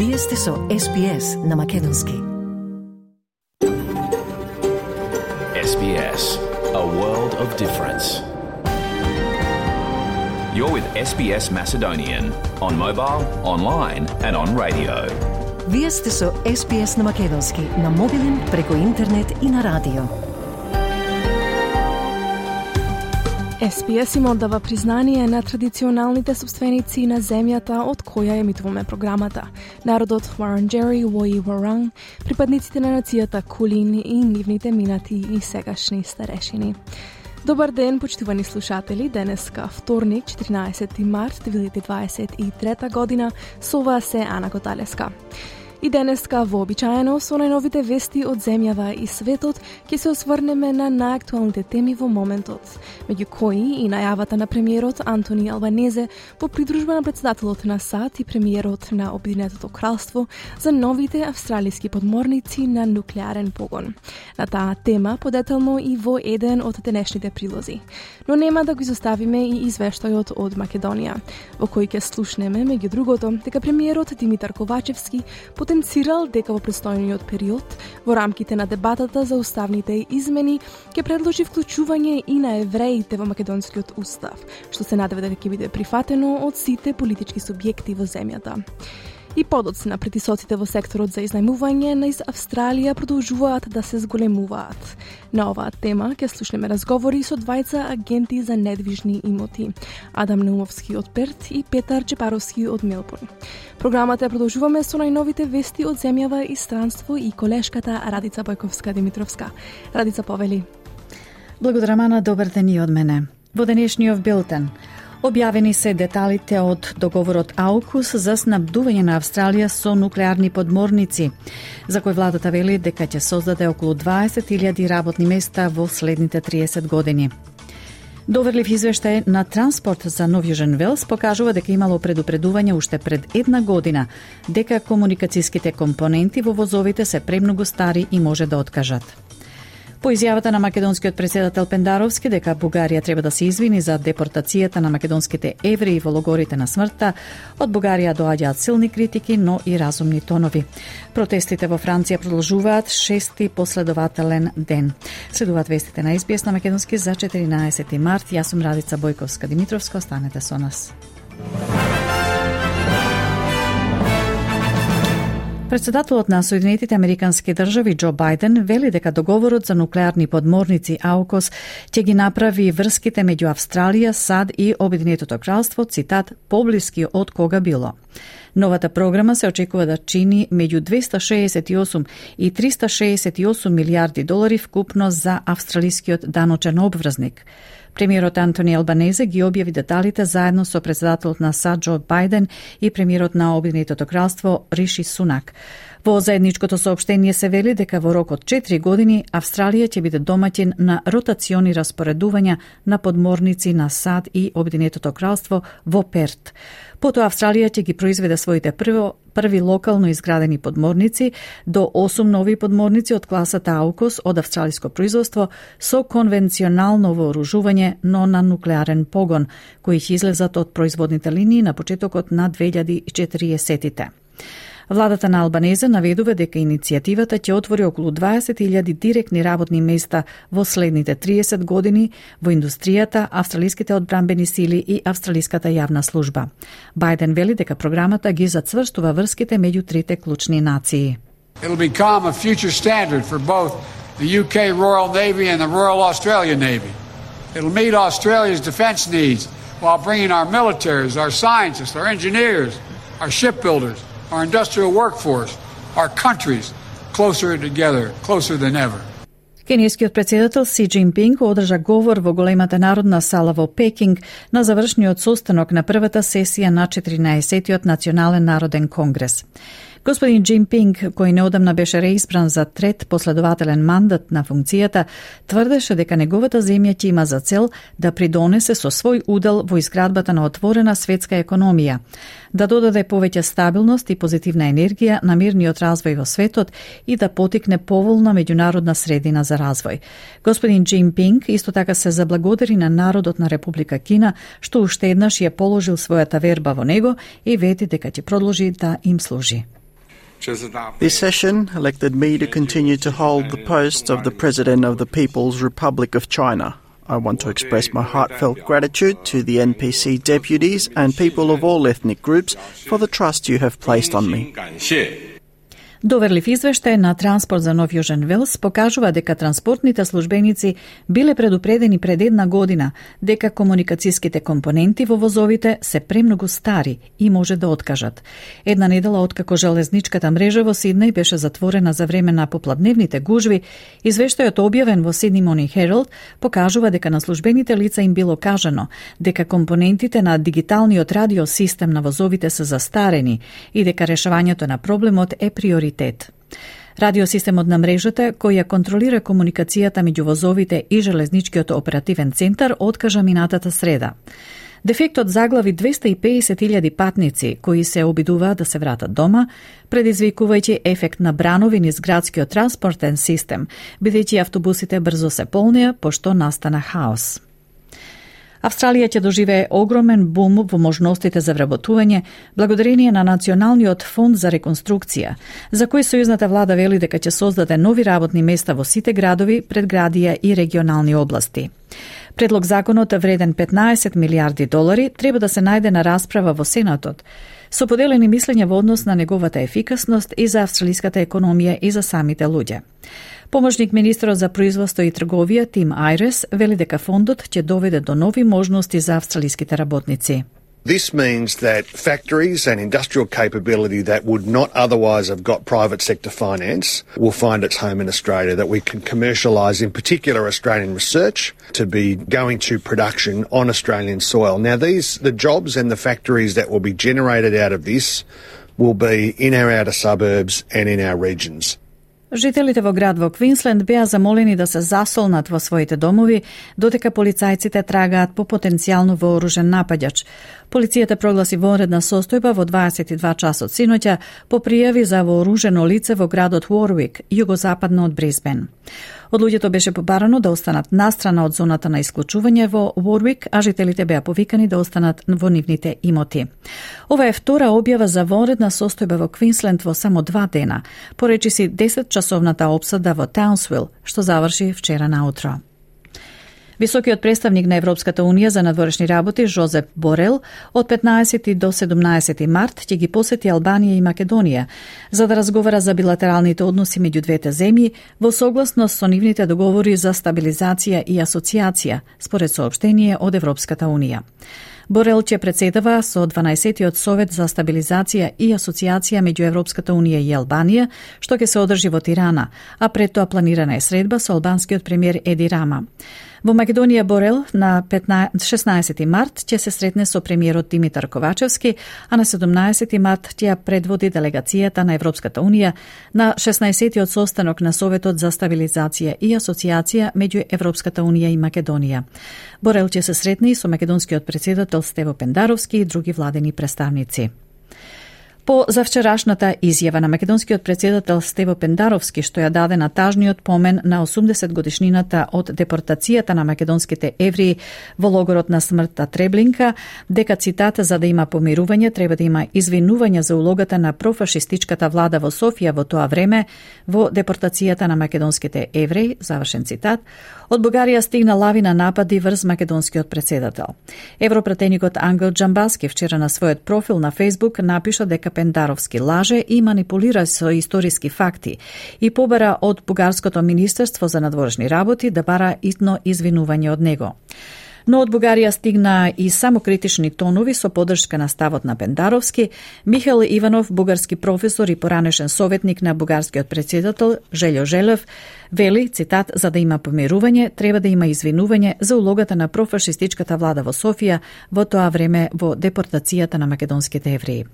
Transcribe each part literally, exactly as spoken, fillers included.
Вие сте со Ес Би Ес на Македонски. Ес Би Ес, a world of difference. You're with Ес Би Ес Macedonian on mobile, online and on radio. Вие сте со Ес Би Ес на Македонски, на мобилен, преку интернет и на радио. Ес Би Ес им оддава признание на традиционалните собственици на земјата од која емитуваме програмата. Народот Варанџери, Вои Варанг, припадниците на нацијата Кулин и нивните минати и сегашни старешини. Добар ден, почитувани слушатели. Денеска вторник, четиринаесети март две илјади дваесет и трета година, со вас се Ана Коталеска. И денеска вообичаено со најновите вести од земјава и светот ќе се осврнеме на најактуелните теми во моментот, меѓу кои и најавата на премиерот Антони Албанезе по придружба на председателот на САД и премиерот на Обединетото кралство за новите австралиски подморници на нуклеарен погон. На таа тема подетално и во еден од денешните прилози. Но нема да го изоставиме и извештајот од Македонија, во кој ќе слушнеме меѓу другото дека премиерот Димитар Ковачевски потенцирал дека во престојниот период, во рамките на дебатата за уставните измени, ќе предложи вклучување и на евреите во македонскиот устав, што се надева дека ќе биде прифатено од сите политички субјекти во земјата. И подоцна притисоците во секторот за изнајмување на из Австралија продолжуваат да се зголемуваат. На оваа тема ќе слушнеме разговори со двајца агенти за недвижни имоти, Адам Наумовски од Перт и Петар Чепаровски од Мелбурн. Програмата ја продолжуваме со најновите вести од земјава и странство и колешката Радица Бојковска-Димитровска. Радица, повели. Благодарам, Ана, добар ден и од мене. Во денешниот билтен објавени се деталите од договорот Аукус за снабдување на Австралија со нуклеарни подморници, за кој владата вели дека ќе создаде околу дваесет илјади работни места во следните триесет години. Доверлив извештај на Транспорт за Нов Јужен Велс покажува дека имало предупредување уште пред една година дека комуникацијските компоненти во возовите се премногу стари и може да откажат. По изјавата на македонскиот председател Пендаровски дека Бугарија треба да се извини за депортацијата на македонските евреи во логорите на смртта, од Бугарија доаѓаат силни критики, но и разумни тонови. Протестите во Франција продолжуваат шести последователен ден. Следуваат вестите на Ес Би Ес на македонски за четиринаесети март. Јас сум Радица Бојковска-Димитровска, останете со нас. Председателот на Соединетите Американски држави Џо Бајден вели дека договорот за нуклеарни подморници Аукос ќе ги направи врските меѓу Австралија, САД и Обединетото кралство, цитат, поблиски од кога било. Новата програма се очекува да чини меѓу двеста шеесет и осум и триста шеесет и осум милијарди долари вкупно за австралискиот даночен обврзник. Премиерот Антони Албанезе ги објави деталите заедно со председателот на САД Џо Бајден и премиерот на Обединетото кралство Риши Сунак. Во заедничкото соопштение се вели дека во рок од четири години Австралија ќе биде домаќин на ротациони распоредувања на подморници на САД и Обединетото кралство во Перт. Потоа Австралија ќе ги произведе своите прво, први локално изградени подморници до осум нови подморници од класата Аукос од австралиско производство со конвенционално вооружување, но на нуклеарен погон, кои ќе излезат од производните линии на почетокот на две илјади и четириесетите. Владата на Албанезе наведува дека иницијативата ќе отвори околу дваесет илјади директни работни места во следните триесет години во индустријата, австралиските одбранбени сили и австралиската јавна служба. Бајден вели дека програмата ги зацврстува врските меѓу трите клучни нации. It'll become a future standard for both the U K Royal Navy and the Royal Australian Navy. It'll meet Australia's defence needs while bringing our militaries, our scientists, our engineers, our shipbuilders, our industrial workforce, our countries closer together, closer than ever. Кенијскиот председател Си Џинпинг одржа говор во големата народна сала во Пекинг на завршниот состанок на првата сесија на четиринаесеттиот национален народен конгрес. Господин Џинпинг, кој неодамна беше реизбран за трет последователен мандат на функцијата, тврдеше дека неговата земја ќе има за цел да придонесе со свој удел во изградбата на отворена светска економија, да додаде повеќе стабилност и позитивна енергија на мирниот развој во светот и да потикне поволна меѓународна средина за развој. Господин Џинпинг исто така се заблагодари на народот на Република Кина, што уште еднаш ја положил својата верба во него и вети дека ќе продолжи да им служи. This session elected me to continue to hold the post of the President of the People's Republic of China. I want to express my heartfelt gratitude to the N P C deputies and people of all ethnic groups for the trust you have placed on me. Доверлив извештај на Транспорт за Нов Јужен Велс покажува дека транспортните службеници биле предупредени пред една година дека комуникацијските компоненти во возовите се премногу стари и може да откажат. Една недела откако железничката мрежа во Сиднеј беше затворена за време на попладневните гужви, извештајот објавен во Sydney Morning Herald покажува дека на службените лица им било кажано дека компонентите на дигиталниот радиосистем на возовите се застарени и дека решавањето на проблемот е приоритет. Радиосистемот на мрежата, кој ја контролира комуникацијата меѓу возовите и железничкиот оперативен центар, откажа минатата среда. Дефектот заглави двеста и педесет илјади патници кои се обидуваат да се вратат дома, предизвикувајќи ефект на бранови низ градскиот транспортен систем, бидејќи автобусите брзо се полнеа пошто настана хаос. Австралија ќе доживее огромен бум во можностите за вработување благодарение на Националниот фонд за реконструкција, за кој сојузната влада вели дека ќе создаде нови работни места во сите градови, предградија и регионални области. Предлог законот вреден петнаесет милиарди долари треба да се најде на расправа во Сенатот, со поделени мислења во однос на неговата ефикасност и за австралиската економија и за самите луѓе. Помошник министрот за производство и трговија Тим Айрес вели дека фондот ќе доведе до нови можности за австралиските работници. This means that factories and industrial capability that would not otherwise have got private sector finance will find its home in Australia, that we can commercialise in particular Australian research to be going to production on Australian soil. Now these, the jobs and the factories that will be generated out of this will be in our outer suburbs and in our regions. Жителите во град во Квинсленд беа замолени да се засолнат во своите домови, додека полицајците трагаат по потенцијално вооружен напаѓач. Полицијата прогласи вонредна состојба во дваесет и два часот синоќа по пријави за вооружено лице во градот Уорвик, југозападно од Брисбен. Од луѓето беше побарано да останат настрана од зоната на исклучување во Уорвик, а жителите беа повикани да останат во нивните имоти. Ова е втора објава за вонредна состојба во Квинсленд во само два дена, поречиси десет часовната опсада во Таунсвил, што заврши вчера наутро. Високиот представник на Европската Унија за надворешни работи Жозеп Борел од петнаесети до седумнаесети март ќе ги посети Албанија и Македонија за да разговара за билатералните односи меѓу двете земји во согласност со нивните договори за стабилизација и асоциација, според соопштение од Европската Унија. Борел ќе председава со дванаесеттиот Совет за стабилизација и асоциација меѓу Европската Унија и Албанија, што ќе се одржи во Тирана, а пред тоа планирана е средба со албанскиот премиер Еди Рама. Во Македонија Борел на шеснаесети март ќе се сретне со премиерот Димитар Ковачевски, а на седумнаесети март ќе ја предводи делегацијата на Европската Унија на шеснаесеттиот состанок на Советот за стабилизација и асоциација меѓу Европската Унија и Македонија. Борел ќе се сретне и со македонскиот председател Стево Пендаровски и други владени представници. По завчерашната изјава на македонскиот председател Стево Пендаровски, што ја даде на тажниот помен на осумдесет годишнината од депортацијата на македонските евреи во логорот на смртта Треблинка, дека цитата за да има помирување треба да има извинување за улогата на профашистичката влада во Софија во тоа време во депортацијата на македонските евреи, завршен цитат, од Бугарија стигна лавина напади врз македонскиот председател. Европратеникот Ангел Џамбаски вчера на својот профил на Facebook напиша дека Пендаровски лаже и манипулира со историски факти и побара од Бугарското министерство за надворешни работи да бара итно извинување од него. Но од Бугарија стигна и самокритични тонови со поддршка на ставот на Пендаровски. Михаил Иванов, бугарски професор и поранешен советник на бугарскиот председател Желјо Желев, вели, цитат, за да има помирување, треба да има извинување за улогата на профашистичката влада во Софија во тоа време во депортацијата на македонските евреи.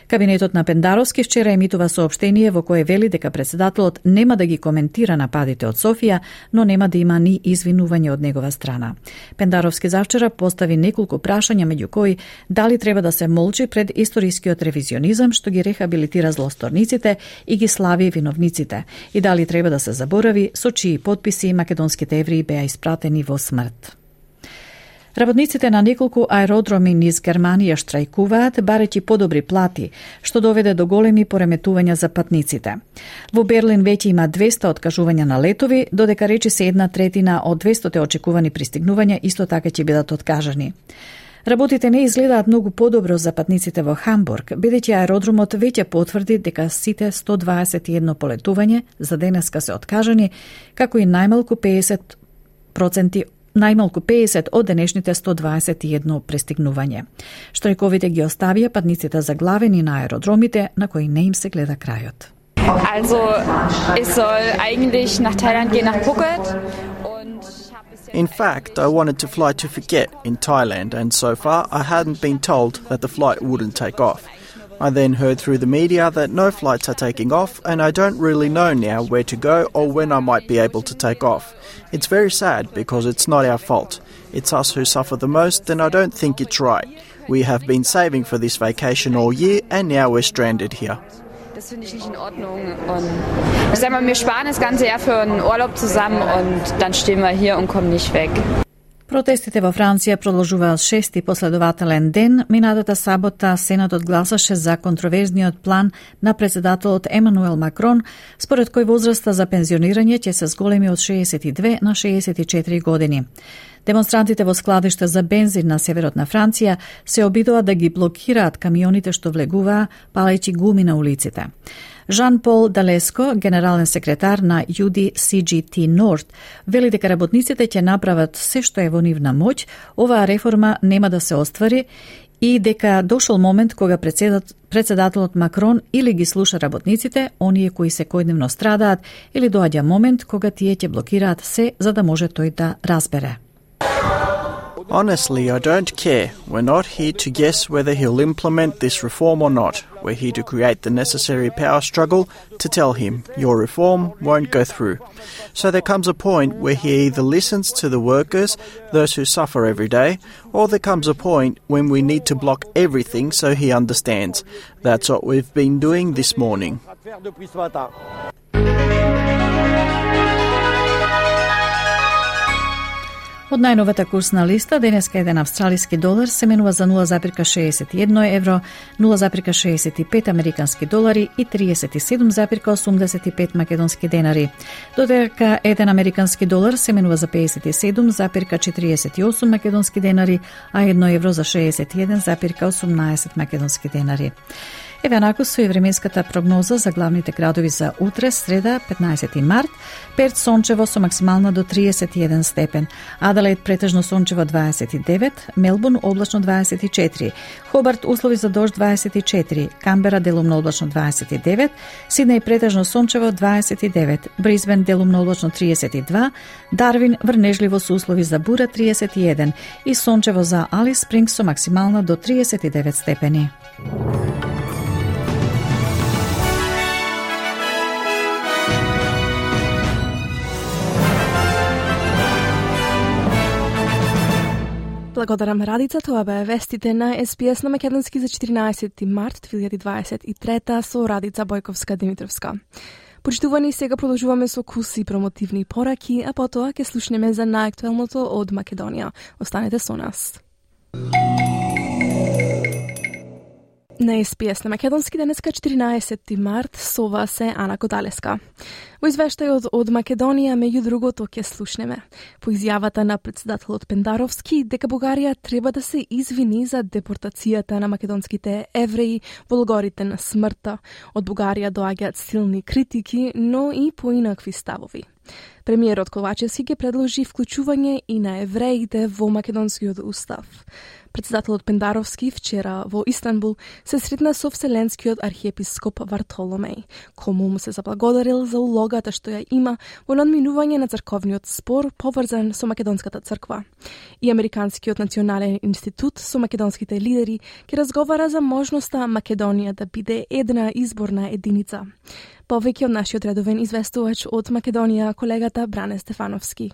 Кабинетот на Пендаровски вчера емитува соопштение во кое вели дека председателот нема да ги коментира нападите од Софија, но нема да има ни извинување од негова страна. Пендаровски завчера постави неколку прашања, меѓу кои дали треба да се молчи пред историскиот ревизионизам што ги рехабилитира злосторниците и ги слави виновниците, и дали треба да се заборави со чии потписи македонските евреи беа испратени во смрт. Работниците на неколку аеродроми низ Германија штрајкуваат барејќи подобри плати, што доведе до големи пореметувања за патниците. Во Берлин веќе има двесте откажувања на летови, додека речи се една третина од двесте очекувани пристигнувања исто така ќе бидат откажани. Работите не изгледаат многу подобро за патниците во Хамбург, бидејќи аеродромот веќе потврди дека сите сто дваесет и едно полетување за денеска се откажани, како и најмалку педесет проценти најмалку педесет од денешните сто дваесет и едно пристигнување. Штрајковите ги оставија патниците заглавени на аеродромите на кои не им се гледа крајот. Also, ich soll eigentlich nach Thailand gehen, nach Phuket. In fact, I wanted to fly to Phuket in Thailand, and so far I hadn't been told that the flight wouldn't take off. I then heard through the media that no flights are taking off, and I don't really know now where to go or when I might be able to take off. It's very sad because it's not our fault. It's us who suffer the most, and I don't think it's right. We have been saving for this vacation all year, and now we're stranded here. Das finde ich nicht in Ordnung. Und ich sag mal, wir sparen das ganze Jahr für einen Urlaub zusammen und dann stehen wir hier und kommen nicht weg. Протестите во Франција продолжуваат шести последователен ден. Минатата сабота Сенатот гласаше за контроверзниот план на председателот Емануел Макрон, според кој возраста за пензионирање ќе се зголеми од шеесет и две на шеесет и четири години. Демонстрантите во складиште за бензин на северот на Франција се обидува да ги блокираат камионите што влегуваа, палејќи гуми на улиците. Жан-Пол Далеско, генерален секретар на Ю Ди Си Джи Ти Норд, вели дека работниците ќе направат се што е во нивна моќ, оваа реформа нема да се оствари и дека дошол момент кога председателот Макрон или ги слуша работниците, оние кои секојдневно страдаат, или доаѓа момент кога тие ќе блокираат се за да може тој да разбере. Honestly, I don't care. We're not here to guess whether he'll implement this reform or not. We're here to create the necessary power struggle to tell him, your reform won't go through. So there comes a point where he either listens to the workers, those who suffer every day, or there comes a point when we need to block everything so he understands. That's what we've been doing this morning. Од најновата курсна листа, денеска еден австралиски долар се менува за нула зарез шеесет и едно евро, нула зарез шеесет и пет американски долари и триесет и седум зарез осумдесет и пет македонски денари. Додека еден американски долар се менува за педесет и седум зарез четириесет и осум македонски денари, а едно евро за шеесет и еден зарез осумнаесет македонски денари. Еве наку со и временската прогноза за главните градови за утре, среда, петнаесети март. Перт сончево со максимална до триесет и еден степен. Аделаид претежно сончево дваесет и девет, Мелбурн облачно дваесет и четири, Хобарт услови за дожд дваесет и четири, Камбера делумно облачно дваесет и девет, Сиднеј претежно сончево дваесет и девет, Брисбен делумно облачно триесет и два, Дарвин врнежливо со услови за бура триесет и еден и сончево за Алис Спрингс со максимална до триесет и девет степени. Благодарам Радица, тоа беа вестите на Ес Би Ес на македонски за четиринаесети март две илјади дваесет и трета со Радица Бојковска-Димитровска. Почитувани, сега продолжуваме со куси промотивни пораки, а потоа ќе слушнеме за најактуелното од Македонија. Останете со нас. На Ес Би Ес на македонски денеска четиринаесети март, со вас е Ана Коталеска. Во извештајот од Македонија, меѓу другото, ќе слушнеме по изјавата на председателот Пендаровски дека Бугарија треба да се извини за депортацијата на македонските евреи во логорите на смртта. Од Бугарија доаѓаат силни критики, но и поинакви ставови. Премиерот Ковачевски ќе предложи вклучување и на евреите во македонскиот устав. Председателот Пендаровски вчера во Истанбул се сретна со вселенскиот архиепископ Вартоломеј, кому му се заблагодарил за улогата што ја има во надминување на црковниот спор поврзан со македонската црква. И Американскиот национален институт со македонските лидери ќе разговара за можноста Македонија да биде една изборна единица. Повеќе од нашиот редовен известувач од Македонија, колегата Бране Стефановски.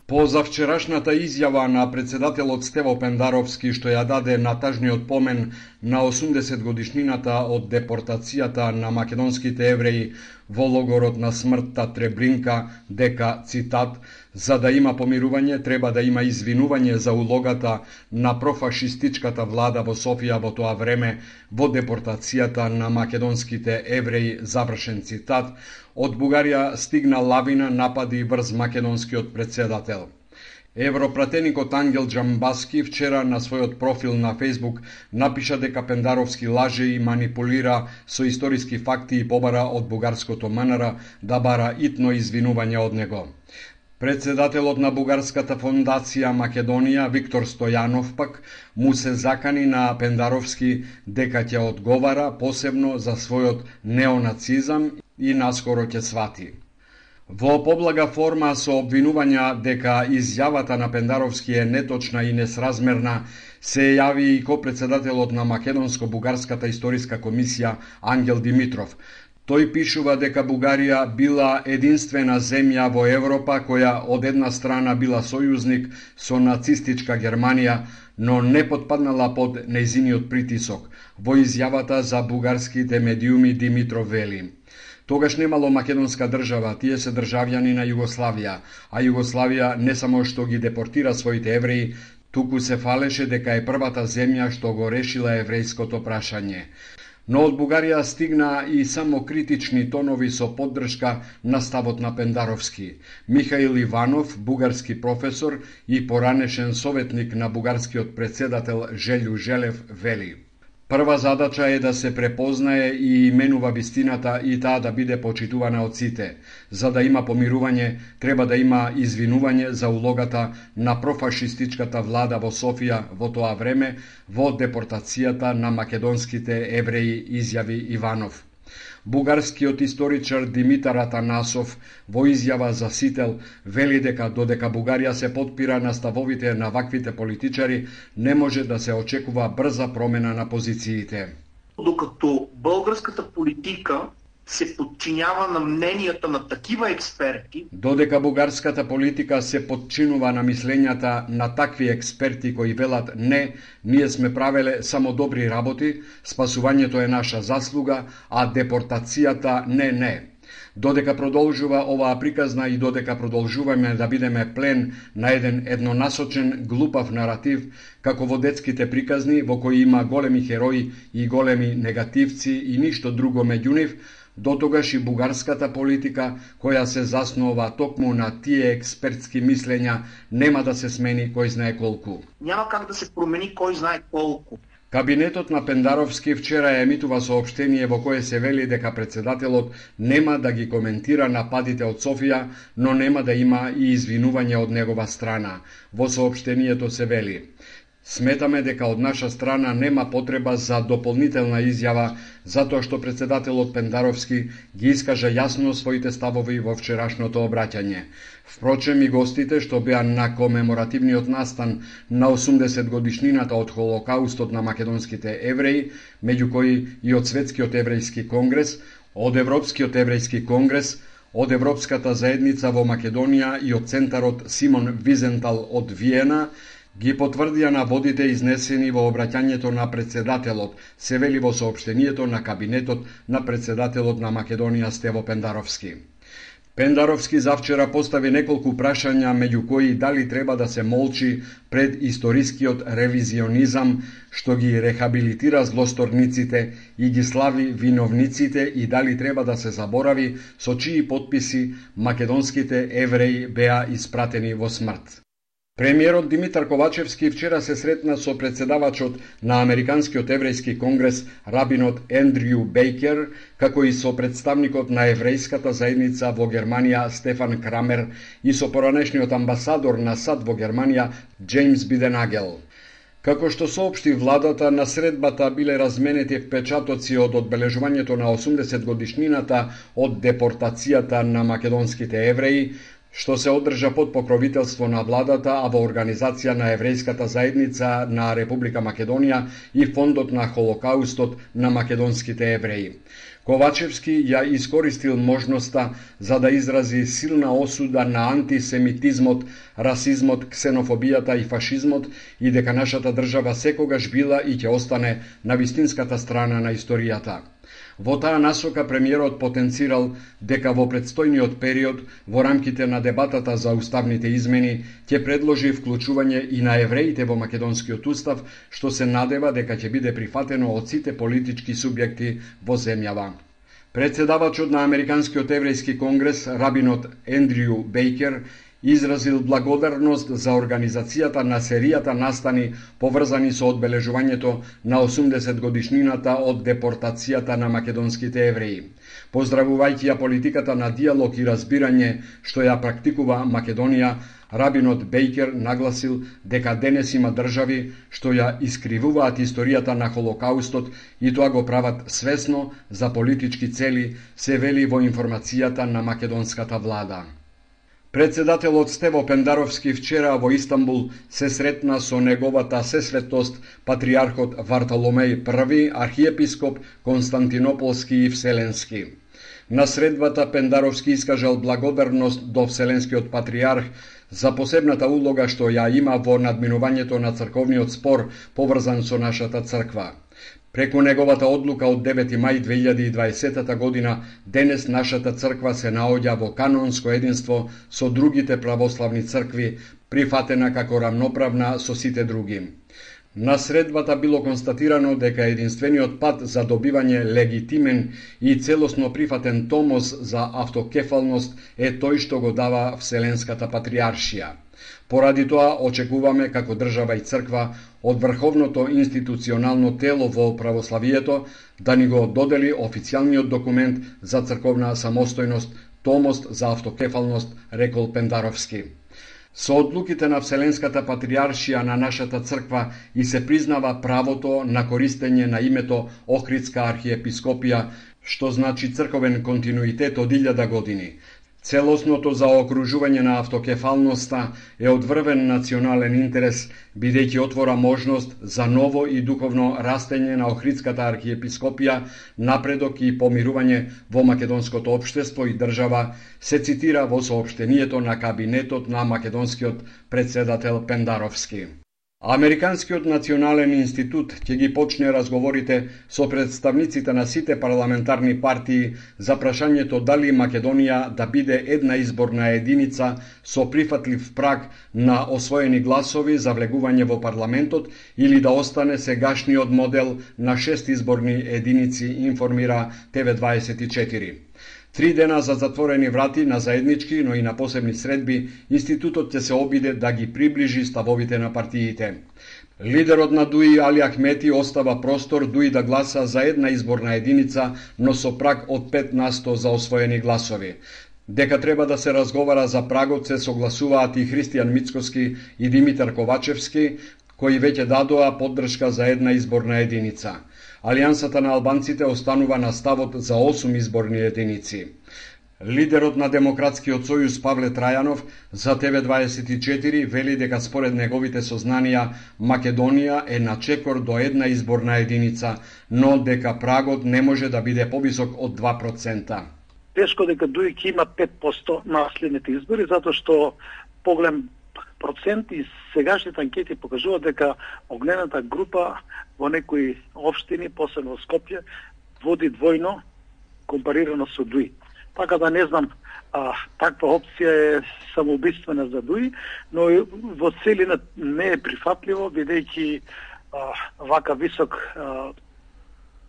По завчерашната изјава на председателот Стево Пендаровски, што ја даде на тажниот помен на осумдесет годишнината од депортацијата на македонските евреи во логорот на смртта Требринка, дека, цитат, за да има помирување, треба да има извинување за улогата на профашистичката влада во Софија во тоа време во депортацијата на македонските евреи, завршен цитат, од Бугарија стигна лавина напади врз македонскиот председател. Европратеникот Ангел Джамбаски вчера на својот профил на Фејсбук напиша дека Пендаровски лаже и манипулира со историски факти и побара од бугарското МНР да бара итно извинување од него. Председателот на Бугарската фондација Македонија, Виктор Стојанов, пак му се закани на Пендаровски дека ќе одговара посебно за својот неонацизам и наскоро ќе свати. Во поблага форма со обвинувања дека изјавата на Пендаровски е неточна и несразмерна, се јави и ко-председателот на Македонско-бугарската историска комисија Ангел Димитров. Тој пишува дека Бугарија била единствена земја во Европа која од една страна била сојузник со нацистичка Германија, но не потпаднала под нејзиниот притисок. Во изјавата за бугарските медиуми Димитров вели: тогаш немало македонска држава, тие се државјани на Југославија, а Југославија не само што ги депортира своите евреи, туку се фалеше дека е првата земја што го решила еврејското прашање. Но од Бугарија стигна и само критични тонови со поддршка на ставот на Пендаровски. Михаил Иванов, бугарски професор и поранешен советник на бугарскиот председател Желју Желев, вели: прва задача е да се препознае и именува вистината и таа да биде почитувана од сите. За да има помирување, треба да има извинување за улогата на профашистичката влада во Софија во тоа време во депортацијата на македонските евреи, изјави Иванов. Бугарскиот историчар Димитар Атанасов во изјава за Сител вели дека додека Бугарија се потпира на ставовите на ваквите политичари, не може да се очекува брза промена на позициите. Докато българската политика се подчинява на мненијата на такива експерти, додека бугарската политика се подчинува на мислењата на такви експерти кои велат не, ние сме правеле само добри работи, спасувањето е наша заслуга, а депортацијата не не. Додека продолжува оваа приказна и додека продолжуваме да бидеме плен на еден еднонасочен, глупав наратив, како во детските приказни во кои има големи херои и големи негативци и ништо друго меѓу нив, дотогаш и бугарската политика, која се заснова токму на тие експертски мислења, нема да се смени кој знае колку. Няма как да се промени кој знае колку. Кабинетот на Пендаровски вчера емитува соопштение во кое се вели дека председателот нема да ги коментира нападите од Софија, но нема да има и извинување од негова страна. Во соопштението се вели: сметаме дека од наша страна нема потреба за дополнителна изјава, затоа што председателот Пендаровски ги искажа јасно своите ставови во вчерашното обраќање. Впрочем, и гостите што беа на комеморативниот настан на осумдесет годишнината од Холокаустот на македонските евреи, меѓу кои и од Светскиот еврејски конгрес, од Европскиот еврејски конгрес, од Европската заедница во Македонија и од Центарот Симон Визентал од Виена, ги потврдија наводите изнесени во обраќањето на председателот, се вели во соопштението на кабинетот на председателот на Македонија Стево Пендаровски. Пендаровски завчера постави неколку прашања, меѓу кои дали треба да се молчи пред историскиот ревизионизам што ги рехабилитира злосторниците и ги слави виновниците и дали треба да се заборави со чии потписи македонските евреи беа испратени во смрт. Премиерот Димитар Ковачевски вчера се сретна со председавачот на Американскиот еврејски конгрес, рабинот Ендрју Бейкер, како и со представникот на еврејската заедница во Германија Стефан Крамер и со поранешниот амбасадор на САД во Германија Джеймс Биденагел. Како што соопшти владата, на средбата биле разменети впечатоци од одбележувањето на осумдесет годишнината од депортацијата на македонските евреи, што се одржа под покровителство на владата, а во организација на еврејската заедница на Република Македонија и Фондот на Холокаустот на македонските евреи. Ковачевски ја искористил можноста за да изрази силна осуда на антисемитизмот, расизмот, ксенофобијата и фашизмот и дека нашата држава секогаш била и ќе остане на вистинската страна на историјата. Во таа насока премиерот потенцирал дека во предстојниот период, во рамките на дебатата за уставните измени, ќе предложи вклучување и на евреите во македонскиот устав, што се надева дека ќе биде прифатено од сите политички субјекти во земјава. Председавачот на Американскиот еврејски конгрес, рабинот Ендрю Бейкер, изразил благодарност за организацијата на серијата настани поврзани со одбележувањето на осумдесет годишнината од депортацијата на македонските евреи. Поздравувајќи ја политиката на диалог и разбирање што ја практикува Македонија, рабинот Бейкер нагласил дека денес има држави што ја искривуваат историјата на Холокаустот и тоа го прават свесно за политички цели, се вели во информацијата на македонската влада. Председателот Стево Пендаровски вчера во Истанбул се сретна со неговата сесветост патриархот Вартоломеј први, архиепископ Константинополски и Вселенски. На средбата Пендаровски искажал благодарност до Вселенскиот патриарх за посебната улога што ја има во надминувањето на црковниот спор поврзан со нашата црква. Преку неговата одлука од девети мај две илјади и дваесета година, денес нашата црква се наоѓа во канонско единство со другите православни цркви, прифатена како рамноправна со сите други. На средбата било констатирано дека единствениот пат за добивање легитимен и целосно прифатен томос за автокефалност е тој што го дава Вселенската патриаршија. Поради тоа очекуваме како држава и црква од врховното институционално тело во православието да ни го додели официјалниот документ за црковна самостојност, томост за автокефалност, рекол Пендаровски. Со одлуките на Вселенската патриаршија на нашата црква и се признава правото на користење на името Охридска архиепископија, што значи црковен континуитет од илјада години. Целосното заокружување на автокефалноста е од врвен национален интерес, бидејќи отвора можност за ново и духовно растење на Охридската архиепископија, напредок и помирување во македонското општество и држава, се цитира во соопштението на кабинетот на македонскиот председател Пендаровски. Американскиот национален институт ќе ги почне разговорите со представниците на сите парламентарни партии за прашањето дали Македонија да биде една изборна единица со прифатлив праг на освоени гласови за влегување во парламентот или да остане сегашниот модел на шест изборни единици, информира Т В дваесет и четири. Три дена за затворени врати на заеднички, но и на посебни средби, институтот ќе се обиде да ги приближи ставовите на партиите. Лидерот на ДУИ Али Ахмети остава простор ДУИ да гласа за една изборна единица, но со праг од пет на сто за освоени гласови. Дека треба да се разговара за прагот се согласуваат и Христијан Мицкоски и Димитар Ковачевски, кои веќе дадоа поддршка за една изборна единица. Алијансата на албанците останува на ставот за осум изборни единици. Лидерот на Демократскиот сојуз Павле Трајанов за Т В дваесет и четири вели дека според неговите сознанија Македонија е на чекор до една изборна единица, но дека прагот не може да биде повисок од два процента. Тешко дека ДУИ ќе има пет проценти на следните избори, затоа што погледам процент и сегашните анкети покажуваат дека огнената група во некои општини, посебно во Скопје, води двојно компарирано со ДУИ. Така да не знам, а, таква опција е самоубиствена за ДУИ, но во целина не е прифатливо, бидејќи вака висок а,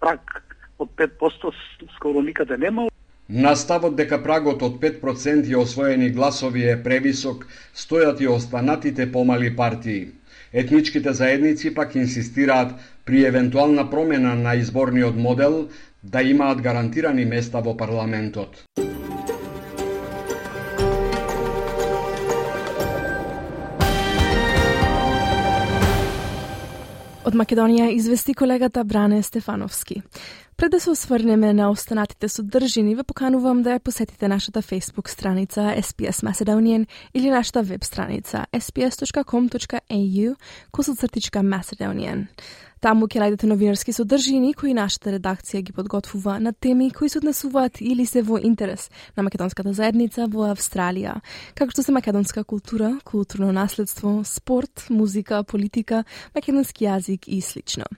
праг од пет проценти скоро никаде нема. На ставот дека прагот од пет проценти освоени гласови е превисок, стојат и останатите помали партии. Етничките заедници пак инсистираат при евентуална промена на изборниот модел да имаат гарантирани места во парламентот. Од Македонија извести колегата Бране Стефановски. Пред да се осврнеме на останатите содржини, ве поканувам да ја посетите нашата Facebook страница S B S Macedonian или нашата веб страница s b s dot com dot a u косацртичка Macedonian. Таму ќе најдете новинарски содржини кои нашата редакција ги подготвува на теми кои се однесуваат или се во интерес на македонската заедница во Австралија, како што се македонска култура, културно наследство, спорт, музика, политика, македонски јазик и слично.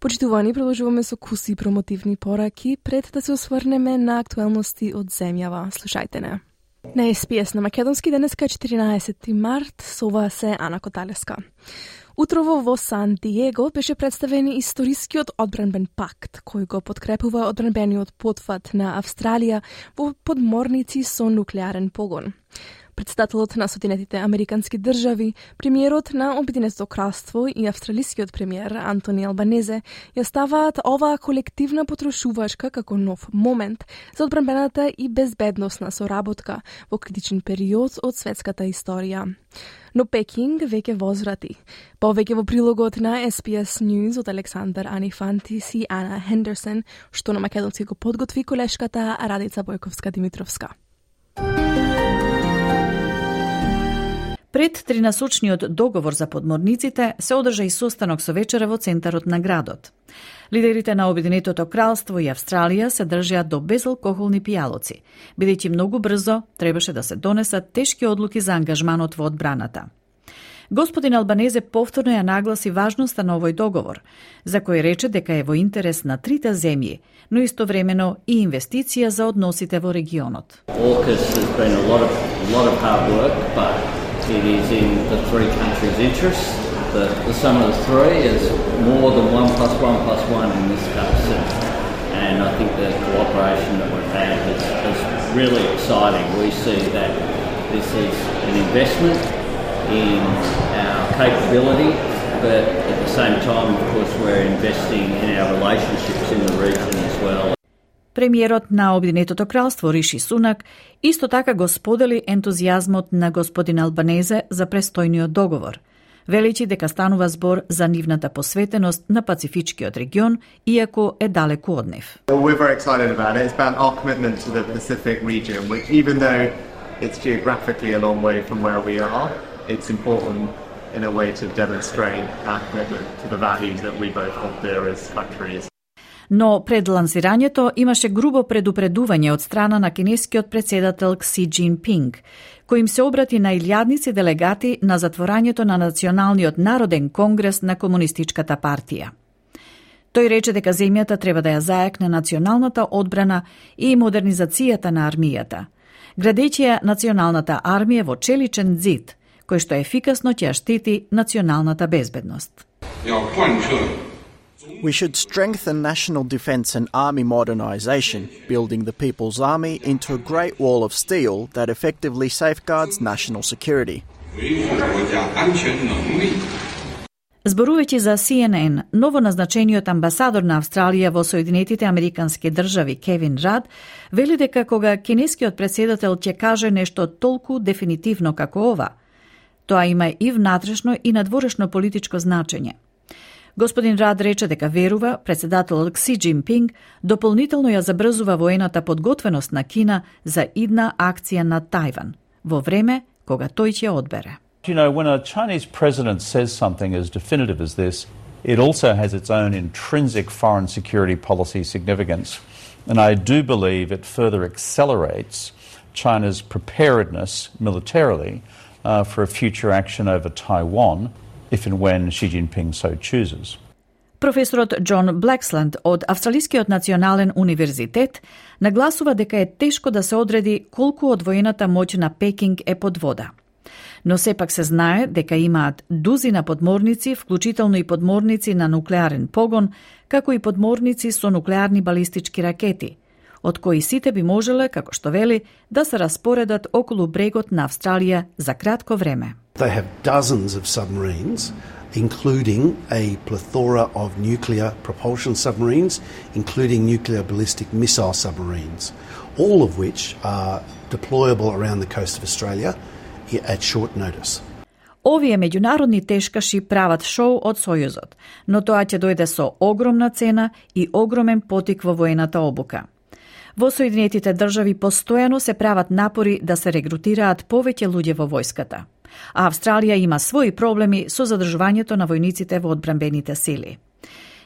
Почитувани, продолжуваме со куси промотивни пораки пред да се осврнеме на актуелности од земјава. Слушајте не. На Ес Би Ес на македонски денеска четирнаесети март, со ова се Ана Коталеска. Утрово во Сан Диего беше представен историскиот одбранбен пакт, кој го подкрепува одбранбениот потфат на Австралија во подморници со нуклеарен погон. Председателот на Соединетите Американски држави, премиерот на Обединетото кралство и австралискиот премиер Антони Албанезе ја ставаат оваа колективна потрошувачка како нов момент за одбранбената и безбедносна соработка во критичен период од светската историја. Но Пекинг веќе возврати. Повеќе во прилогот на Ес Би Ес News од Александар Анифантис и Ана Хендерсон, што на македонски го подготви колешката Радица Бојковска-Димитровска. Пред тринасочниот договор за подморниците се одржа и состанок со вечера во центарот на градот. Лидерите на Обединетото кралство и Австралија се држеа до безалкохолни пијалоци, бидејќи многу брзо требаше да се донесат тешки одлуки за ангажманот во одбраната. Господин Албанезе повторно ја нагласи важноста на овој договор, за кој рече дека е во интерес на трите земји, но истовремено и инвестиција за односите во регионот. It is in the three countries' interests. The, the sum of the three is more than one plus one plus one in this case. And, and I think the cooperation that we've had is, is really exciting. We see that this is an investment in our capability, but at the same time, of course, we're investing in our relationships in the region as well. Премиерот на Обединетото кралство Риши Сунак исто така го сподели ентузијазмот на господин Албанезе за престојниот договор, величи дека станува збор за нивната посветеност на Пацифичкиот регион, иако е далеку од нив. We're very excited about it. It's about our commitment to the Pacific region, which even though it's geographically a long way from where we are, it's important in a way to demonstrate our commitment to the values that we both hold dear as countries. Но пред лансирањето имаше грубо предупредување од страна на кинескиот председател Кси Џинпинг, кој им се обрати на илјадници делегати на затворањето на Националниот народен конгрес на Комунистичката партија. Тој рече дека земјата треба да ја зајакне националната одбрана и модернизацијата на армијата, градејќи ја националната армија во челичен зид, кој што ефикасно ќе ја штити националната безбедност. We should strengthen national defence and army modernisation, building the People's Army into a great wall of steel that effectively safeguards national security. Зборувајќи за Си Ен Ен, новоназначениот амбасадор на Австралија во Соединетите Американски држави Кевин Рад вели дека кога кинескиот председател ќе каже нешто толку дефинитивно како ова, тоа има и внатрешно и надворешно политичко значење. Господин Рад рече дека верува председателот Кси Џинпинг дополнително ја забрзува воената подготвеност на Кина за идна акција на Тајван, во време кога тој ќе одбере. You know, when a Chinese president says something as definitive as this, it also has its own intrinsic foreign security policy significance. And I do believe it further accelerates China's preparedness militarily uh, for a future action over Taiwan, if and when Xi Jinping so chooses. Професорот Џон Блексленд од Австралискиот национален универзитет нагласува дека е тешко да се одреди колку од воената моќ на Пекинг е под вода. Но сепак се знае дека имаат дузина подморници, вклучително и подморници на нуклеарен погон, како и подморници со нуклеарни балистички ракети, од кои сите би можеле, како што вели, да се распоредат околу брегот на Австралија за кратко време. They have dozens of submarines, including a plethora of nuclear propulsion submarines, including nuclear ballistic missile submarines, all of which are deployable around the coast of Australia at short notice. Овие меѓународни тешкаши прават шоу од Сојузот, но тоа ќе дојде со огромна цена и огромен потик во воената обука. Во Соединетите држави постојано се прават напори да се регрутираат повеќе луѓе во војската, а Австралија има своји проблеми со задржувањето на војниците во одбранбените сили.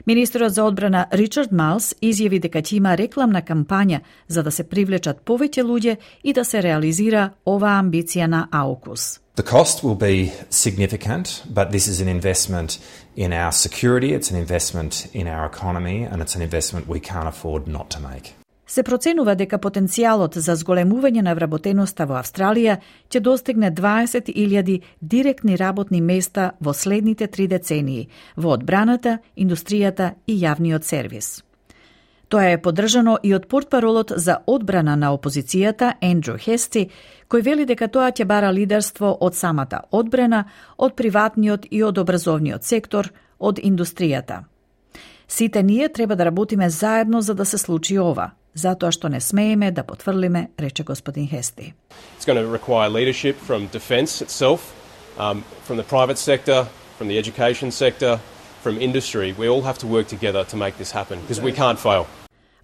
Министерот за одбрана Ричард Малс изјави дека ќе има рекламна кампања за да се привлечат повеќе луѓе и да се реализира оваа амбиција на AUKUS. The cost will be significant, but this is an investment in our security, it's an investment in our economy, and it's an investment we can't afford not to make. Се проценува дека потенцијалот за зголемување на вработеноста во Австралија ќе достигне дваесет илјади директни работни места во следните три децении во одбраната, индустријата и јавниот сервис. Тоа е поддржано и од портпаролот за одбрана на опозицијата Ендрю Хести, кој вели дека тоа ќе бара лидерство од самата одбрана, од приватниот и од образовниот сектор, од индустријата. Сите ние треба да работиме заедно за да се случи ова, затоа што не смееме да потврлиме, рече господин Хести. It's going to require leadership from defence itself, um, from the private sector, from the education sector, from industry. We all have to work together to make this happen because we can't fail.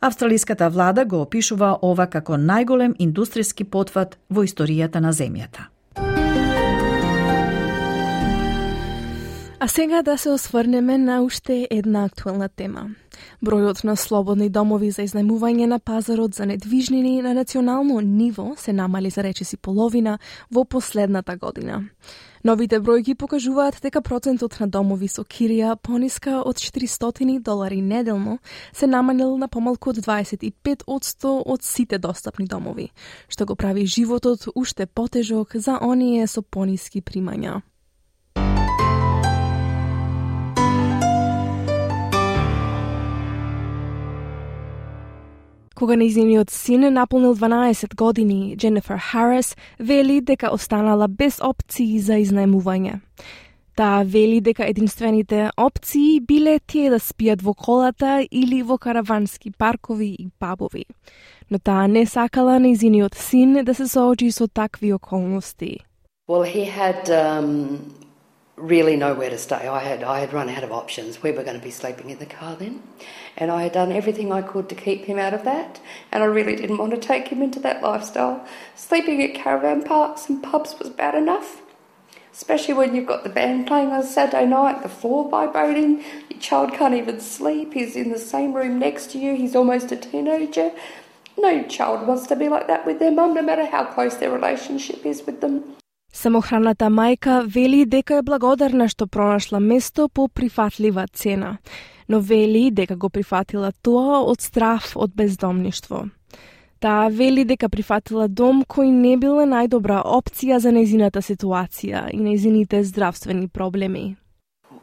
Австралиската влада го опишува ова како најголем индустријски потват во историјата на земјата. А сега да се осврнеме на уште една актуелна тема. Бројот на слободни домови за изнајмување на пазарот за недвижнини на национално ниво се намали за речиси половина во последната година. Новите бројки покажуваат дека процентот на домови со кирија пониска од четиристотини долари неделно се намалил на помалку од дваесет и пет одсто од сите достапни домови, што го прави животот уште потежок за оние со пониски примања. Кога нејзиниот син наполнил дванаесет години, Дженефер Харис вели дека останала без опции за изнајмување. Таа вели дека единствените опции биле тие да спијат во колата или во каравански паркови и пабови. Но таа не сакала нејзиниот син да се соочи со такви околности. Well, he had um, really nowhere to stay. I had I had run out of options. We were going to be sleeping in the car then. And I had done everything I could to keep him out of that. And I really didn't want to take him into that lifestyle. Sleeping at caravan parks and pubs was bad enough. Especially when you've got the band playing on Saturday night, the floor vibrating, your child can't even sleep, he's in the same room next to you, he's almost a teenager. No child wants to be like that with their mum, no matter how close their relationship is with them. Самохраната мајка вели дека е благодарна што пронашла место по прифатлива цена, но вели дека го прифатила тоа од страв од бездомништво. Таа вели дека прифатила дом кој не бил најдобра опција за нејзината ситуација и нејзините здравствени проблеми.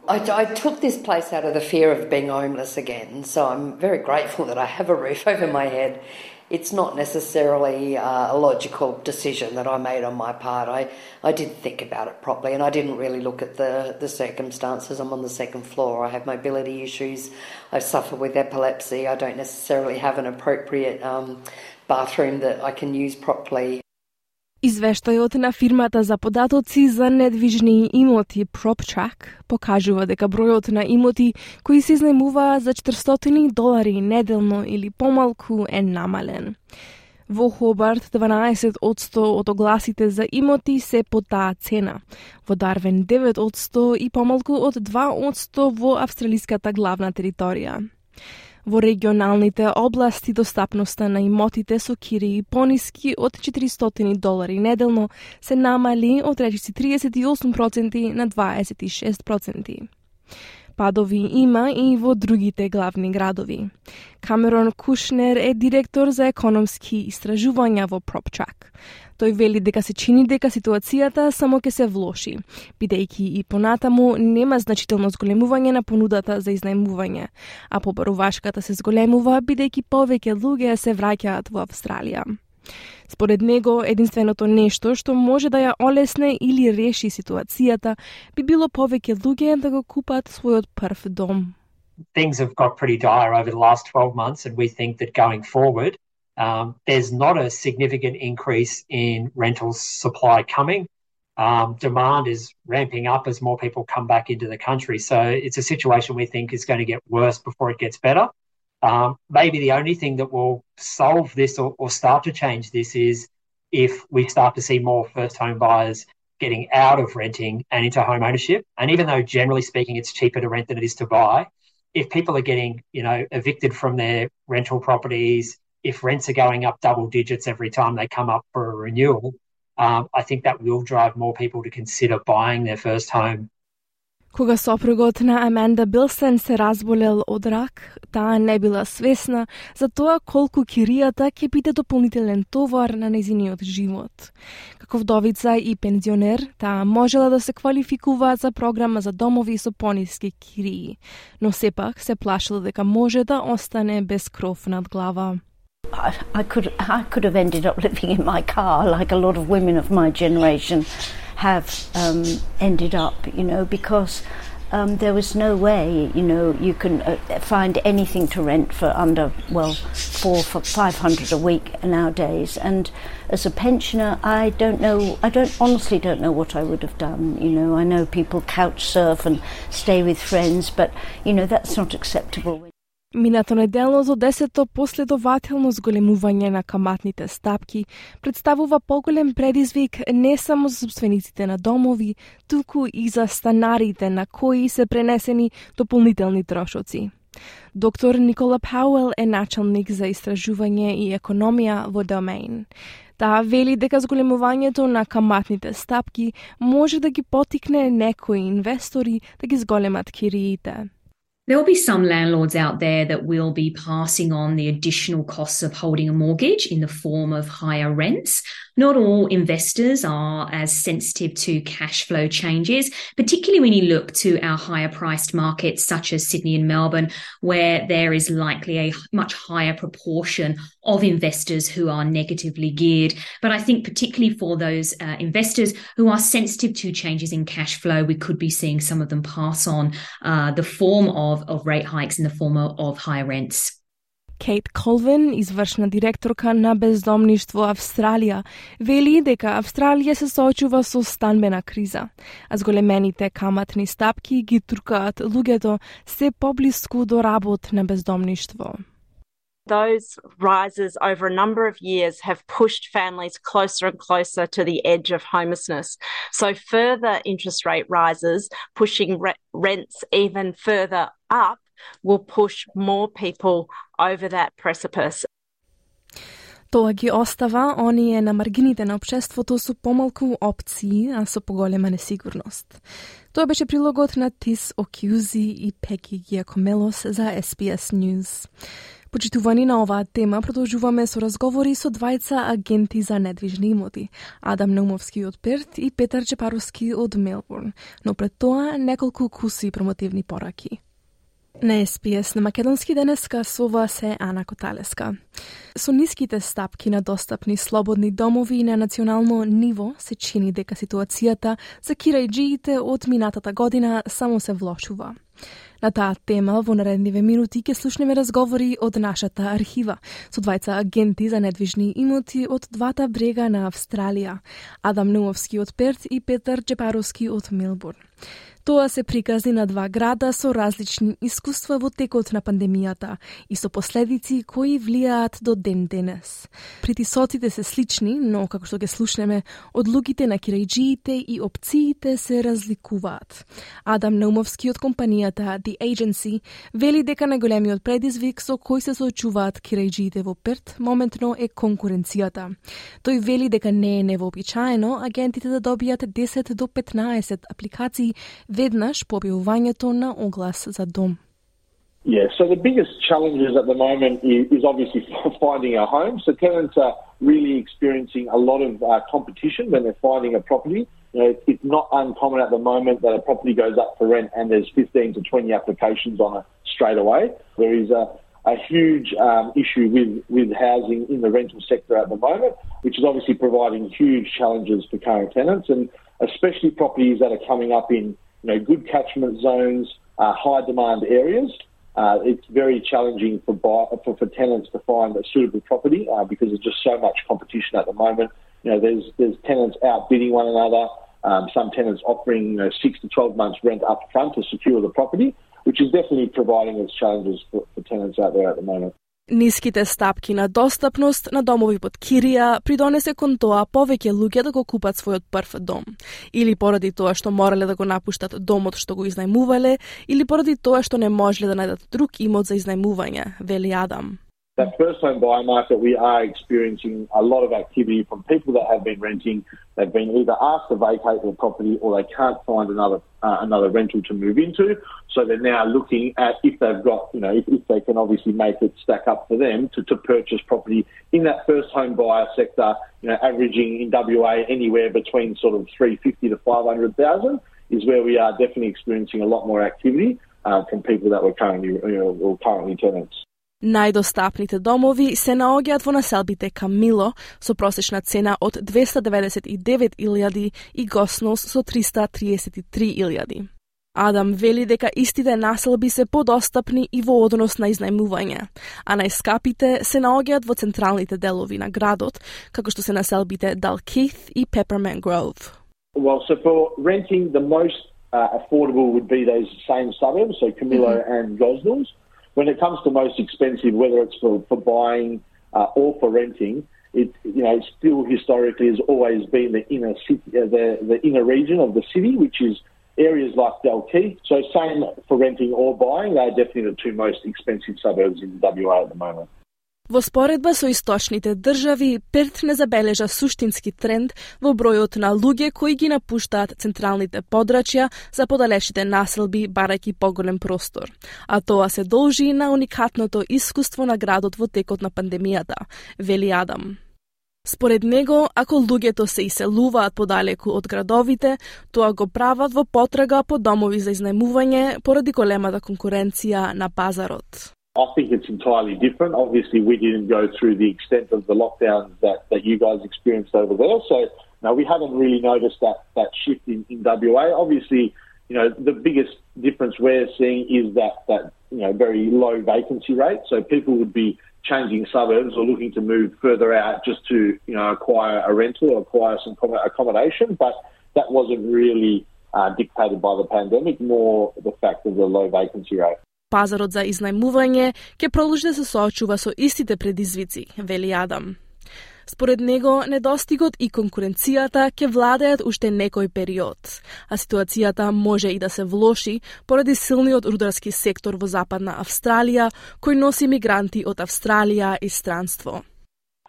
I, I took this place out of the fear of being homeless again, so I'm very grateful that I have a roof over my head. It's not necessarily uh, a logical decision that I made on my part. I, I didn't think about it properly and I didn't really look at the, the circumstances. I'm on the second floor. I have mobility issues. I suffer with epilepsy. I don't necessarily have an appropriate um, bathroom that I can use properly. Извештајот на фирмата за податоци за недвижни имоти PropTrack покажува дека бројот на имоти кои се изнајмуваат за четиристотини долари неделно или помалку е намален. Во Хобарт дванаесет одсто од огласите за имоти се по таа цена, во Дарвин девет одсто и помалку од два одсто во австралиската главна територија. Во регионалните области достапноста на имотите со кирии пониски од четиристотини долари неделно се намали од речиси триесет и осум проценти на дваесет и шест проценти. Падови има и во другите главни градови. Камерон Кушнер е директор за економски истражувања во PropTrack. Тој вели дека се чини дека ситуацијата само ќе се влоши, бидејќи и понатаму нема значително зголемување на понудата за изнајмување, а побарувачката се зголемува бидејќи повеќе луѓе се враќаат во Австралија. Според него, единственото нешто што може да ја олесне или реши ситуацијата би било повеќе луѓе да го купат својот прв дом. Things have got pretty dire over the last twelve months and we think that going forward Um, there's not a significant increase in rental supply coming. Um, demand is ramping up as more people come back into the country. So it's a situation we think is going to get worse before it gets better. Um, maybe the only thing that will solve this or, or start to change this is if we start to see more first home buyers getting out of renting and into home ownership. And even though generally speaking it's cheaper to rent than it is to buy, if people are getting, you know, evicted from their rental properties, if rents are going up double digits every time they come up for a renewal, um, I think that will drive more people to consider buying their first home. Кога сопругот на Аманда Билсен се разболел од рак, таа не била свесна за тоа колку киријата ќе биде дополнителен товар на нејзиниот живот. Како вдовица и пензионер, таа можела да се квалификува за програма за домови со пониски кирии, но сепак се плашила дека може да остане без кров над глава. I, I could I could have ended up living in my car like a lot of women of my generation have um, ended up, you know, because um, there was no way, you know, you can uh, find anything to rent for under, well, four, for five hundred a week nowadays. And as a pensioner, I don't know, I don't honestly don't know what I would have done. You know, I know people couch surf and stay with friends, but you know that's not acceptable. Минато неделното десето последователно зголемување на каматните стапки представува поголем предизвик не само за собствениците на домови, туку и за станарите на кои се пренесени дополнителни трошоци. Доктор Никола Пауел е началник за истражување и економија во Домейн. Таа вели дека зголемувањето на каматните стапки може да ги потикне некои инвестори да ги зголемат кириите. There will be some landlords out there that will be passing on the additional costs of holding a mortgage in the form of higher rents. Not all investors are as sensitive to cash flow changes, particularly when you look to our higher priced markets such as Sydney and Melbourne, where there is likely a much higher proportion of investors who are negatively geared. But I think particularly for those uh, investors who are sensitive to changes in cash flow, we could be seeing some of them pass on uh, the form of of rate hikes in the form of higher rents. Кейт Колвин, извршна директорка на Бездомништво Австралија, вели дека Австралија се соочува со станбена криза, а зголемените каматни стапки ги туркаат луѓето се поблиску до работ на бездомништво. Those rises over a number of years have pushed families closer and closer to the edge of homelessness. So further interest rate rises, pushing re- rents even further up, will push more people over that precipice. Тоа ги остава оние на маргините на општеството со помалку опции, а со поголема несигурност. Тоа беше прилогот на Тис Окјузи и Пеки Гиакомелос за Ес Би Ес News. Почитувани на оваа тема, продолжуваме со разговори со двајца агенти за недвижни имоти, Адам Наумовски од Перт и Петар Чепаровски од Мелбурн, но пред тоа неколку куси промотивни пораки. На Ес Би Ес на македонски денеска со вас е Ана Коталеска. Со ниските стапки на достапни слободни домови на национално ниво се чини дека ситуацијата за кирајџиите од минатата година само се влошува. На таа тема во наредниве минути ќе слушнеме разговори од нашата архива со двајца агенти за недвижни имоти од двата брега на Австралија, Адам Наумовски од Перт и Петар Чепаровски од Мелбурн. Тоа се приказни на два града со различни искуства во текот на пандемијата и со последици кои влијаат до ден денес. Притисоците се слични, но како што ќе слушнеме, одлуките на кирајџиите и опциите се разликуваат. Адам Наумовски од компанијата The Agency вели дека најголемиот предизвик со кој се соочуваат кирајџиите во Перт моментно е конкуренцијата. Тој вели дека не е невообичаено агентите да добијат десет до петнаесет апликации веднаш по објавувањето на оглас за дом. Yeah, so the biggest challenges at the moment is, is obviously finding a home. So tenants are really experiencing a lot of uh, competition when they're finding a property. You know, it's not uncommon at the moment that a property goes up for rent and there's fifteen to twenty applications on it straight away. There is a, a huge um, issue with, with housing in the rental sector at the moment, which is obviously providing huge challenges for current tenants, and especially properties that are coming up in you know, good catchment zones, uh, high demand areas. Uh, it's very challenging for, buy, for for tenants to find a suitable property uh, because there's just so much competition at the moment. You know, there's there's tenants outbidding one another. Um, some tenants offering you know, six to twelve months rent up front to secure the property, which is definitely providing its challenges for, for tenants out there at the moment. Ниските стапки на достапност на домови под кирија придонесе кон тоа повеќе луѓе да го купат својот прв дом. Или поради тоа што морале да го напуштат домот што го изнајмувале, или поради тоа што не можеле да најдат друг имот за изнајмување, вели Адам. That first home buyer market, we are experiencing a lot of activity from people that have been renting. They've been either asked to vacate their property or they can't find another uh, another rental to move into. So they're now looking at if they've got, you know, if, if they can obviously make it stack up for them to, to purchase property in that first home buyer sector, you know, averaging in W A anywhere between sort of three fifty to five hundred thousand is where we are definitely experiencing a lot more activity uh, from people that were currently, you know, or currently tenants. Најдостапните домови се наоѓаат во населбите Камило со просечна цена од двеста деведесет и девет илјади и Госноус со триста триесет и три илјади. Адам вели дека истите населби се подостапни и во однос на изнајмување, а најскапите се наоѓаат во централните делови на градот, како што се населбите Dalkeith и Peppermint Grove. Well, so for renting, the most uh, affordable would be those same suburbs, so Camillo mm-hmm. and Gosnells. When it comes to most expensive, whether it's for, for buying uh, or for renting, it you know still historically has always been the inner city, uh, the the inner region of the city, which is areas like Dalkeith. So same for renting or buying, they're definitely the two most expensive suburbs in W A at the moment. Во споредба со источните држави, Перт не забележа суштински тренд во бројот на луѓе кои ги напуштаат централните подрачја за подалечните населби барајќи поголем простор. А тоа се должи на уникатното искуство на градот во текот на пандемијата, вели Адам. Според него, ако луѓето се иселуваат подалеку од градовите, тоа го прават во потрага по домови за изнајмување поради големата конкуренција на пазарот. I think it's entirely different. Obviously, we didn't go through the extent of the lockdowns that, that you guys experienced over there. So, no, we haven't really noticed that, that shift in, in W A. Obviously, you know, the biggest difference we're seeing is that, that, you know, very low vacancy rate. So people would be changing suburbs or looking to move further out just to, you know, acquire a rental or acquire some accommodation. But that wasn't really uh, dictated by the pandemic, more the fact of the low vacancy rate. Пазарот за изнајмување ќе продолжи да се соочува со истите предизвици, вели Адам. Според него, недостигот и конкуренцијата ќе владеат уште некој период, а ситуацијата може и да се влоши поради силниот рударски сектор во Западна Австралија, кој носи мигранти од Австралија и странство.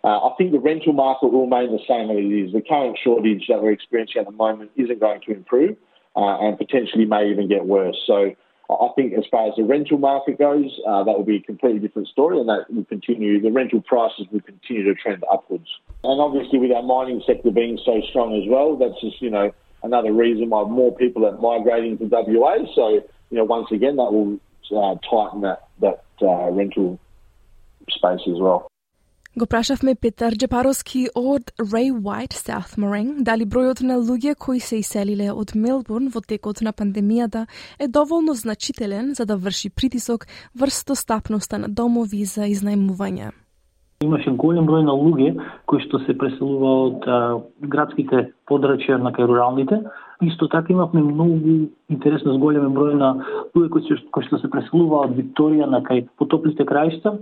Uh, I think the rental market will remain the same as it is. The current shortage that we're experiencing at the moment isn't going to improve uh, and potentially may even get worse. So I think as far as the rental market goes, uh, that will be a completely different story, and that will continue. The rental prices will continue to trend upwards. And obviously with our mining sector being so strong as well, that's just, you know, another reason why more people are migrating to W A. So, you know, once again, that will uh, tighten that, that uh, rental space as well. Го прашавме Петар Джепаровски од Ray White South Morang дали бројот на луѓе кои се иселиле од Мелбурн во текот на пандемијата е доволно значителен за да врши притисок врз достапноста на домови за изнајмување. Имаше голем број на луѓе кои што се преселува од а, градските подрачја на кај руралните. Исто така имавме многу интересно зголемен број на луѓе кои, кои што се преселува од Викторија на кај потоплите краишта,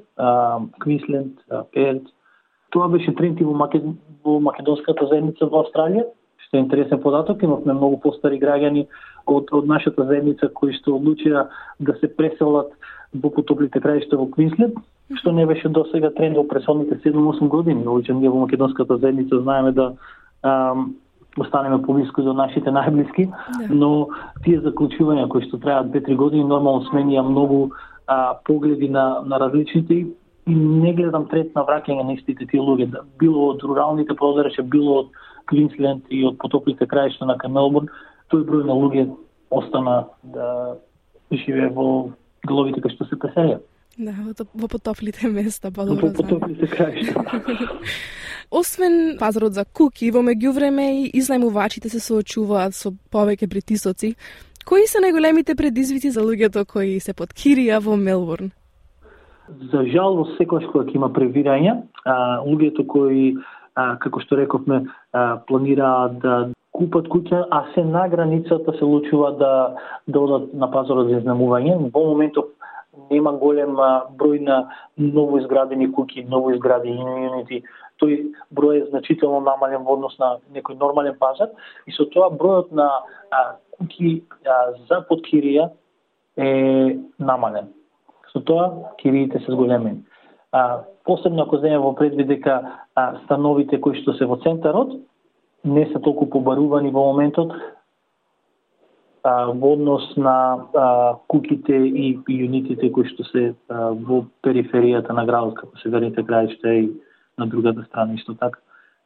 Квинсленд, Перт. Тоа беше тренд и во, Макед... во македонската заедница во Австралија. Што е интересен податок, имавме многу постари граѓани од, од нашата заедница кои што одлучија да се преселат во потоплите краишта во Квинсленд, што не беше досега тренд во претходните седум-осум години. Овоќе ние во македонската заедница знаеме да ам, останеме поблиску до нашите најблиски, но тие заклучувања кои што трајат две-три години нормално сменија многу а, погледи на, на различните и не гледам тренд на враќање на истите тие луѓе, било од руралните подрачја, било од Квинсленд и од потоплите краишта на Мелбурн, тој број на луѓе остана да живее во деловите кои што се преселија. Да, во потоплите места, подобро знам. Во потоплите краишта. Освен пазарот за куки, во меѓувреме и изнајмувачите се соочуваат со повеќе притисоци. Кои се најголемите предизвици за луѓето кои се под кирија во Мелбурн? За жал, секогаш кога ќе има превирање, луѓето кои, а, како што рековме, а, планираат да купат куќа, а се на границата се лучува да, да одат на пазарот за изнемување. Во моментов нема голем број на ново изградени куќи, ново изградени юнити. Тој број е значително намален во однос на некој нормален пазар и со тоа бројот на а, куќи а, за подкирија е намален. Со тоа кириите се зголемени. А, посебно ако земе во предвид дека а, становите кои што се во центарот не се толку побарувани во моментот а, во однос на а, куќите и, и юнитите кои што се а, во периферијата на градот, како северните краишта и на другата страна исто така.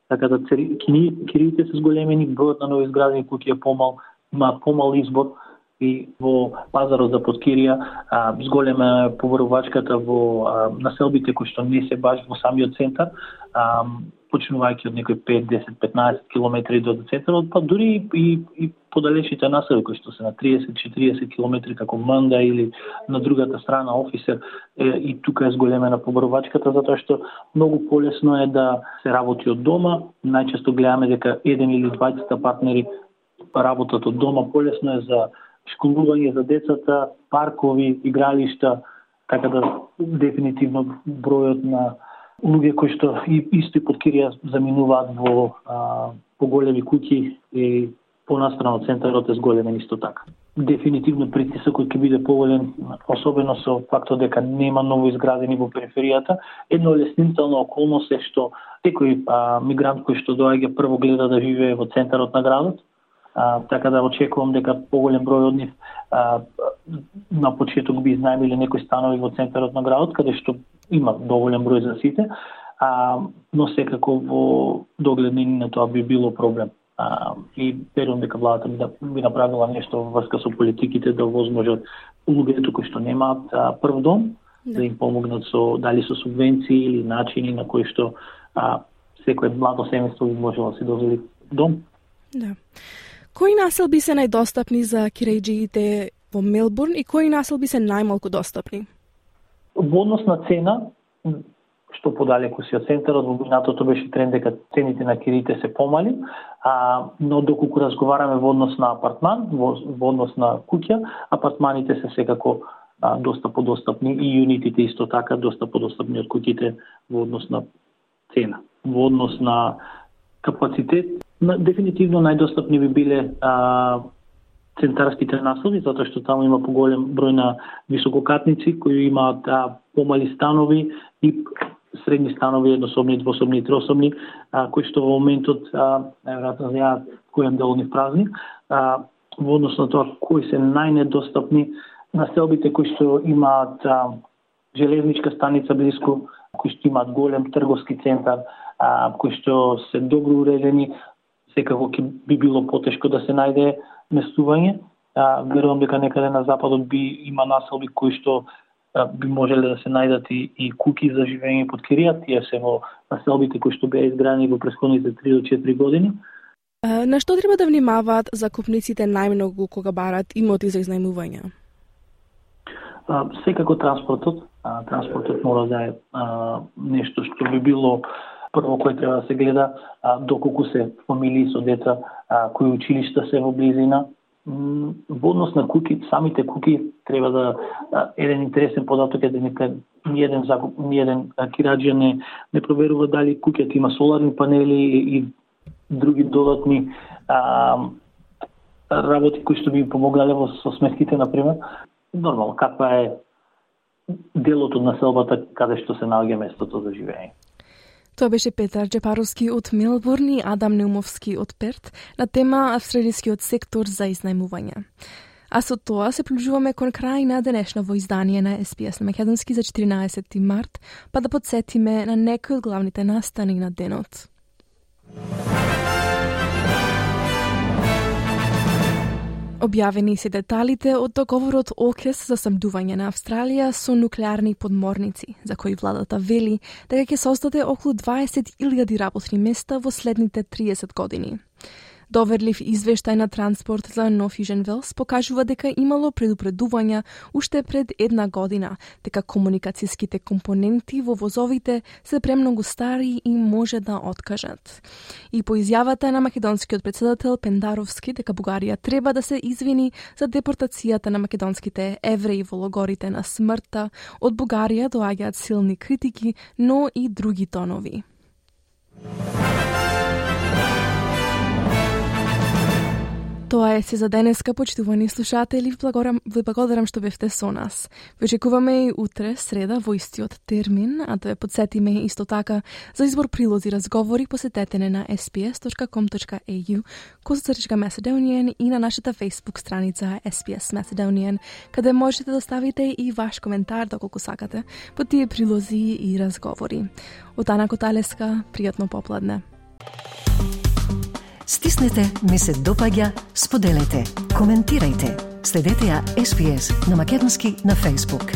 Така да кириите се зголемени, бројот на новоизградени куќи е помал, има помал избор и во пазарот за подкирија а, зголемена е побарувачката во а, населбите кои што не се баш во самиот центар, а, почнувајќи од некои пет, десет, петнаесет километри до центарот, па дури и, и подалечните населби кои што се на триесет, четириесет километри како Манда или на другата страна Офисер, е, и тука е зголемена побарувачката затоа што многу полесно е да се работи од дома. Најчесто гледаме дека еден или двајцата партнери работат од дома, полесно е за школување за децата, паркови, игралишта, така да дефинитивно бројот на луѓе кои што и исто и под кирија заминуваат во а, поголеми куќи и понастрана од центарот е зголемен исто така. Дефинитивно притисокот ќе биде поголем, особено со фактот дека нема ново изградени во периферијата. Едно леснителна околност е што секој а, мигрант кој што доаѓа прво гледа да живее во центарот на градот. А, така да очекувам дека поголем број од нив а, на почеток би изнајмиле некои станови во центарот на градот, каде што има доволен број за сите, а, но секако во догледни на тоа би било проблем. А, и верувам дека владата би, да, би направила нешто во врска со политиките да возможат луѓето кои што немаат а, прв дом, да. да им помогнат со дали со субвенции или начини на кои што а, секој младо семејство би можело да се дозволи дом. Да. Кои населби се најдостапни за кирејџиите во Мелбурн и кои населби се најмалку достапни? Во однос на цена, што подалеку си од центарот, во минатото беше тренд дека цените на кириите се помали, а, но доколку разговараме во однос на апартман, во, во однос на куќа, апартманите се секако а, доста подостапни и юнитите исто така доста подостапни од куќите во однос на цена. Во однос на капацитет, дефинитивно најдостапни би биле а, центарските населби, затоа што таму има поголем број на висококатници кои имаат а, помали станови и средни станови, еднособни, двособни и троособни, а, кои што во моментот најверојатно знаат кој дел нив празни. А, во однос на тоа кои се најнедостапни населбите кои што имаат а, железничка станица блиску, кои што имаат голем трговски центар, а, кои што се добро уредени, секако ќе би било потешко да се најде местување. А, верувам дека некаде на западот би има населби кои што а, би можеле да се најдат и, и куќи за живење под кирија. Тие се во населбите кои што беа изградени во претходните три до четири години. А, на што треба да внимаваат закупниците најмногу кога барат имоти за изнајмување? А, секако транспортот. А, транспортот мора да е а, нешто што би било прво кој треба да се гледа, а, доколку се фамилии со деца, а, кои училишта се во близина. М, во однос на куки, самите куки треба да а, еден интересен податок е дека ни еден закуп, ни еден кираџија не не проверува дали куќата има соларни панели и, и други додатни а, работи кои што би помогале во со сметките на пример. Нормално каква е делот од населбата каде што се наоѓа местото за живење. Тоа беше Петар Джепаровски од Мелбурн и Адам Неумовски од Перт на тема австралискиот сектор за изнајмување. А со тоа се приближуваме кон крај на денешново издание на Ес Би Ес на македонски за четиринаесети март, па да подсетиме на некои од главните настани на денот. Објавени се деталите од договорот ОКЕС за снабдување на Австралија со нуклеарни подморници, за кои владата вели дека ќе создаде околу дваесет илјади работни места во следните триесет години. Доверлив извештај на Транспорт за North Asian Wales покажува дека имало предупредувања уште пред една година, дека комуникацијските компоненти во возовите се премногу стари и може да откажат. И по изјавата на македонскиот председател Пендаровски дека Бугарија треба да се извини за депортацијата на македонските евреи во логорите на смртта, од Бугарија доаѓаат силни критики, но и други тонови. Тоа е се за денеска, почитувани слушатели. Ви благодарам што бевте со нас. Ве очекуваме и утре, среда, во истиот термин, а да ве подсетиме исто така за избор прилози разговори, посетете не на ес би ес точка ком точка ей ю, козацртичка Macedonian и на нашата Facebook страница ес би ес Macedonian, каде можете да ставите и ваш коментар, доколку сакате, по тие прилози и разговори. Од Ана Коталеска, пријатно попладне. Стиснете, ми се допаѓа, споделете, коментирајте. Следете ја ес би ес на македонски на Facebook.